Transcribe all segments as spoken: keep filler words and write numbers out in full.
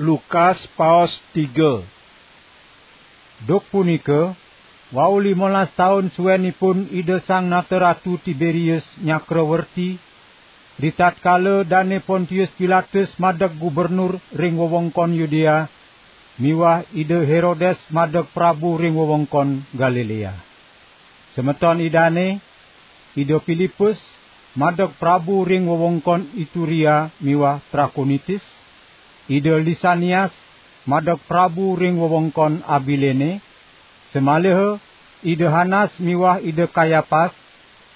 Lukas paos tiga. Duk punika, wau limolas taun suenipun Ida Sang Nata Ratu Tiberius nyakrawerti, ritatkala Dane Pontius Pilatus madeg gubernur ring wewengkon Yudea, miwah Ida Herodes madeg prabu ring wewengkon Galilea. Semeton Idane, Ida Pilipus, madeg prabu ring wewengkon Ituria miwah Trakonitis, Ida Lisanias, madeg prabu ring wewengkon Abilene, samaliha Ida Hanas miwah Ida Kayapas,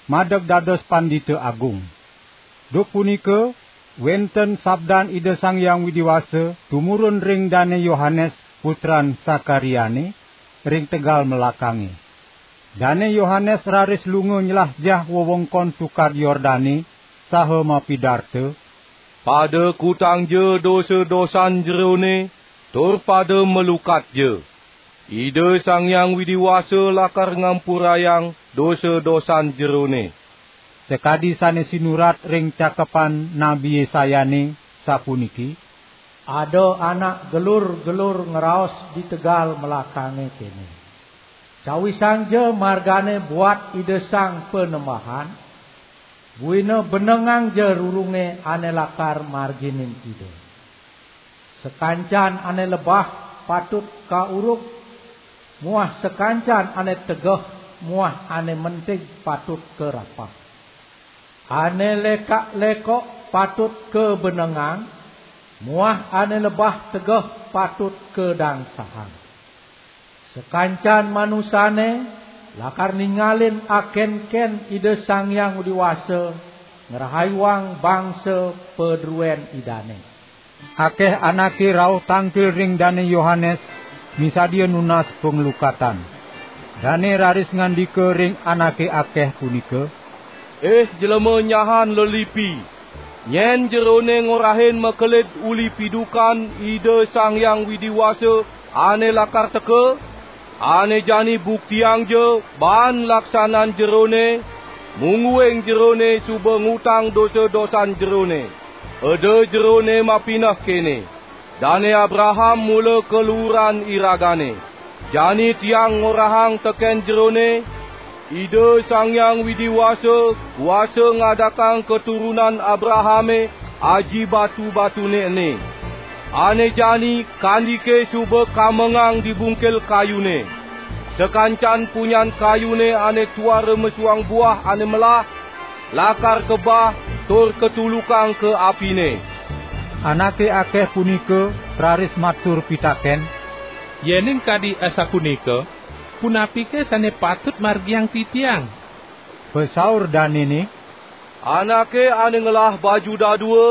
madeg dados pandita agung. Duk punika, wenten sabdan Ida Sang Hyang Widi Wasa tumurun ring Dane Yohanes, putran Sakariane, ring tegal melakange. Dane Yohanes raris lunga nyelah jah wewengkon Tukad Yordane, saha mapidarta, "Pada kutangja dosa-dosan jerone, tur pada malukatja. Ida Sang Hyang Widi Wasa lakar ngampurayang dosa-dosan jerone." Sakadi sane sinurat ring cakepan Nabi Yesayane, sapuniki: "Ada anak gelur-gelur ngraos di tegal melakange kene: Cawisangja margane buat Ida Sang Panembahan, buina benengangja rurunge ane lakar marginin Ida. Sakancan ane lebah patut kaurug, muah sakancan ane tegeh muah ane mentig patut karapah. Ane lekak-lekok patut kabenengang, muah ane lebah tegeh patut kadangsahang. Sakancan manusane lakar ningalin akenken Ida Sang Hyang Widi Wasa ngrahayuang bangsa padruen Idane." Akeh anake rauh tangkil ring Dane Yohanes, misadia nunas panglukatan. Dane raris ngandika ring anake akeh punika: "Ih jelema nyahan lelipi, nyen jerone ngorahin makelid uli pidukan Ida Sang Hyang Widi Wasa ane lakar teka, ane jani buktiangja baan laksanan jerone, mungguing jerone suba ngutang dosa-dosan jerone. Eda jerone mapineh kene: Dane Abraham mula kaluuran iragane. Jani tiang ngorahang teken jerone, Ida Sang Hyang Widi Wasa kuasa ngadakang katurunan Abrahame aji batu-batune ene. Ane jani kandike suba kamengang di bungkil kayune. Sakancan punyan kayune ane tuara mesuang buah ane melah, lakar kebah tur katulukang ka apine." Anake akeh punika raris matur pitaken: "Yening kadi asapunika, punapike sane patut margiang titiang?" Pasaur danene: "Anake ane ngelah baju dadua,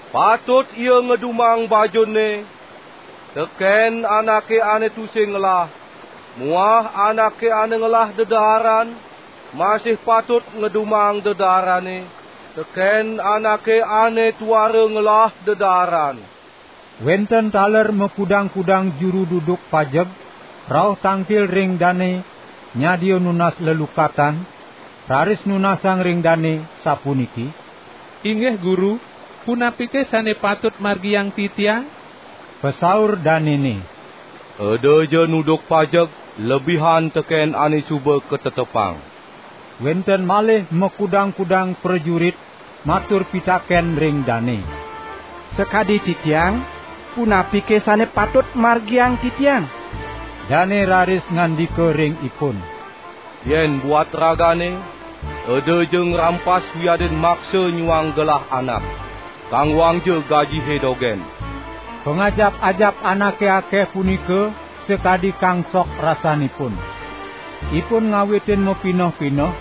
patut ia ngedumang bajunne, teken anake ane tusing ngelah, muah anake ane ngelah dedaaran, masih patut ngedumang dedaarane, teken anake ane tuara ngelah dedaaran." Wenten taler makudang-kudang juru duduk pajeg rauh tangkil ring dane nyadia nunas lelukatan, raris nunasang ring dane sapuniki: "Inggih Guru, punapike sane patut margiang titiang?" Pasaur danene: "Edaja nuduk pajeg lebihan teken ane suba katetepang." Wenten malih makudang-kudang prajurit matur pitaken ring dane: "Sakadi titiang, punapike sane patut margiang titiang?" Dane raris ngandika ring ipun: "Yen buat ragane, edaja ngrampas wiadin maksa nyuang gelah anak. Kanggoangja gajihe dogen." Pangajap-ajap anake akeh punika sakadi kangsok rasanipun. Ipun ngawitin mapineh-pineh,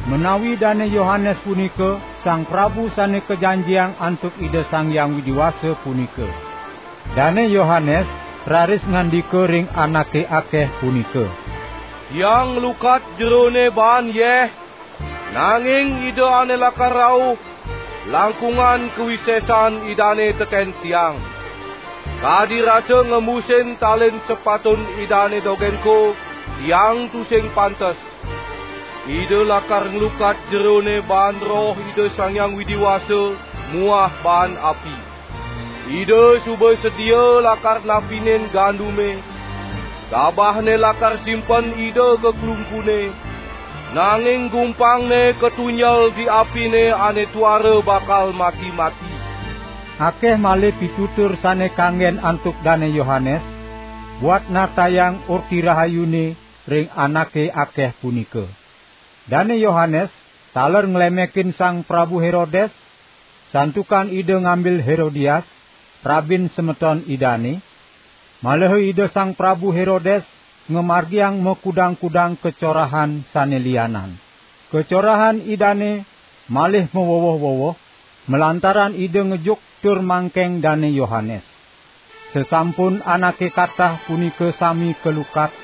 menawi Dane Yohanes punika Sang Prabu sane kajanjiang antuk Ida Sang Hyang Widi Wasa punika. Dane Yohanes raris ngandika ring anake akeh punika: "Tiang nglukat jerone baan yeh, nanging Ida ane lakar rauh, langkungan kawisesan Idane teken tiang. Kadi rasa ngembusin talin sepatun Idane dogenko, tiang tusing pantes. Ida lakar nglukat jerone baan Roh Ida Sang Hyang Widi Wasa muah baan api." Ida suba sedia lakar napinin gandume, gabahne lakar simpen Ida ka klungkune, nanging gumpangne katunjel di apine ane tuara bakal mati-mati. Akeh malih pitutur sane kanggen antuk Dane Yohanes, buat nartayang Orti Rahayune ring anake akeh punika. Dane Yohanes taler nglemekin Sang Prabu Herodes, santukan ida ngambil Herodias, prabin semeton idane, malaha ida Sang Prabu Herodes ngamargiang makudang-kudang kacorahan sane lianan. Kacorahan idane malih mawewoh-wewoh, malantaran ida ngejuk tur mangkeng Dane Yohanes. Sasampun anake katah punika sami kalukat,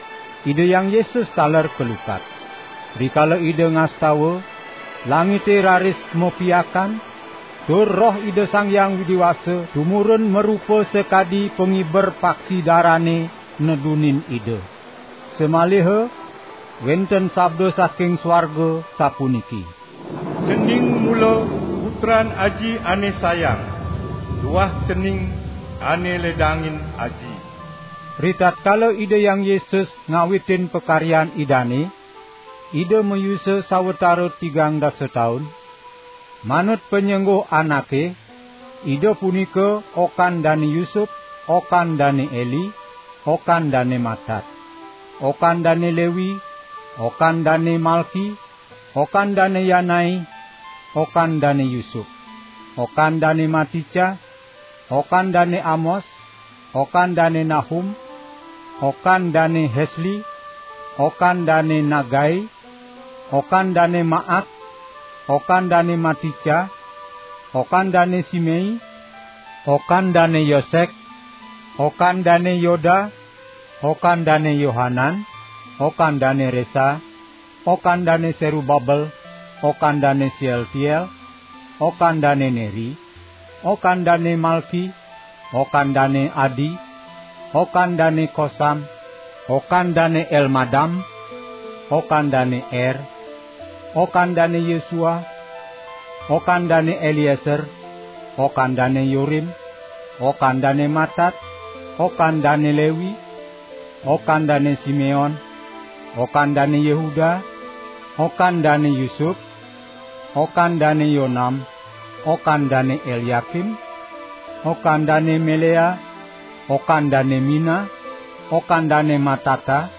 Ida Hyang Yesus taler kalukat. Rikala Ida ngastawa, langite raris mapiakan, tur Roh Ida Sang Hyang Widi Wasa tumurun marupa sakadi pangiber paksi darane nedunin Ida. Samaliha wenten sabda saking swarga sapuniki: "Cening mula Putran Aji ane sayang, tuah cening ane ledangin Aji." Ritatkala Ida Hyang Yesus ngawitin pakaryan Idane, Ida mayusa sawatara tigang dasa taun. Manut panyengguh anake, Ida punika okan Dane Yusup, okan Dane Eli, okan Dane Matat, okan Dane Lewi, okan Dane Malki, okan Dane Yanai, okan Dane Yusup, okan Dane Matica, okan Dane Amos, okan Dane Nahum, okan Dane Hesli, okan Dane Nagai, okan Dane Maat, okan Dane Matica, okan Dane Simei, okan Dane Yosek, okan Dane Yoda, okan Dane Yohanan, okan Dane Resa, okan Dane Serubabel, okan Dane Sealtiel, okan Dane Neri, okan Dane Malki, okan Dane Adi, okan Dane Kosam, okan Dane Elmadam, okan Dane Er, okan Dane Yesua, okan Dane Elieser, okan Dane Yorim, okan Dane Matat, okan Dane Lewi, okan Dane Simeon, okan Dane Yehuda, okan Dane Yusup, okan Dane Yonam, okan Dane Eliakim, okan Dane Melea, okan Dane Mina, okan Dane Matata,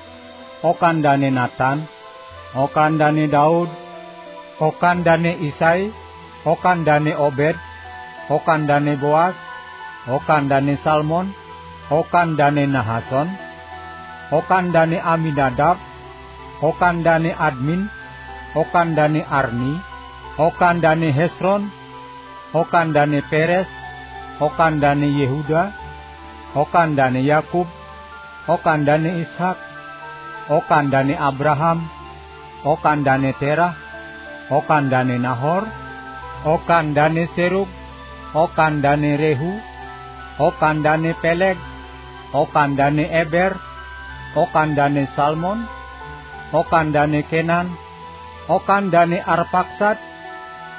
okan Dane Natan, okan Dane Daud, okan Dane Isai, okan Dane Obed, okan Dane Boas, okan Dane Salmon, okan Dane Nahason, okan Dane Aminadab, okan Dane Admin, okan Dane Arni, okan Dane Hesron, okan Dane Peres, okan Dane Yehuda, okan Dane Yakub, okan Dane Ishak, okan Dane Abraham, okan Dane Terah, okan Dane Nahor, okan Dane Serug, okan Dane Rehu, okan Dane Peleg, okan Dane Eber, okan Dane Salmon, okan Dane Kenan, okan Dane Arpaksad,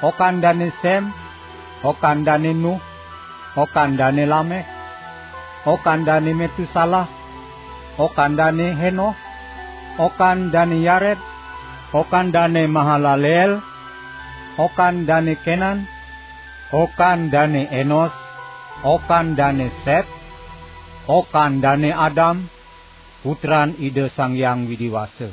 okan Dane Sem, okan Dane Nuh, okan Dane Lamek, okan Dane Metusalah, okan Dane Henoh, okan Dane Yared, okan Dane Mahalaleel, okan Dane Kenan, okan Dane Enos, okan Dane Set, okan Dane Adam, putran Ida Sang Hyang Widi Wasa.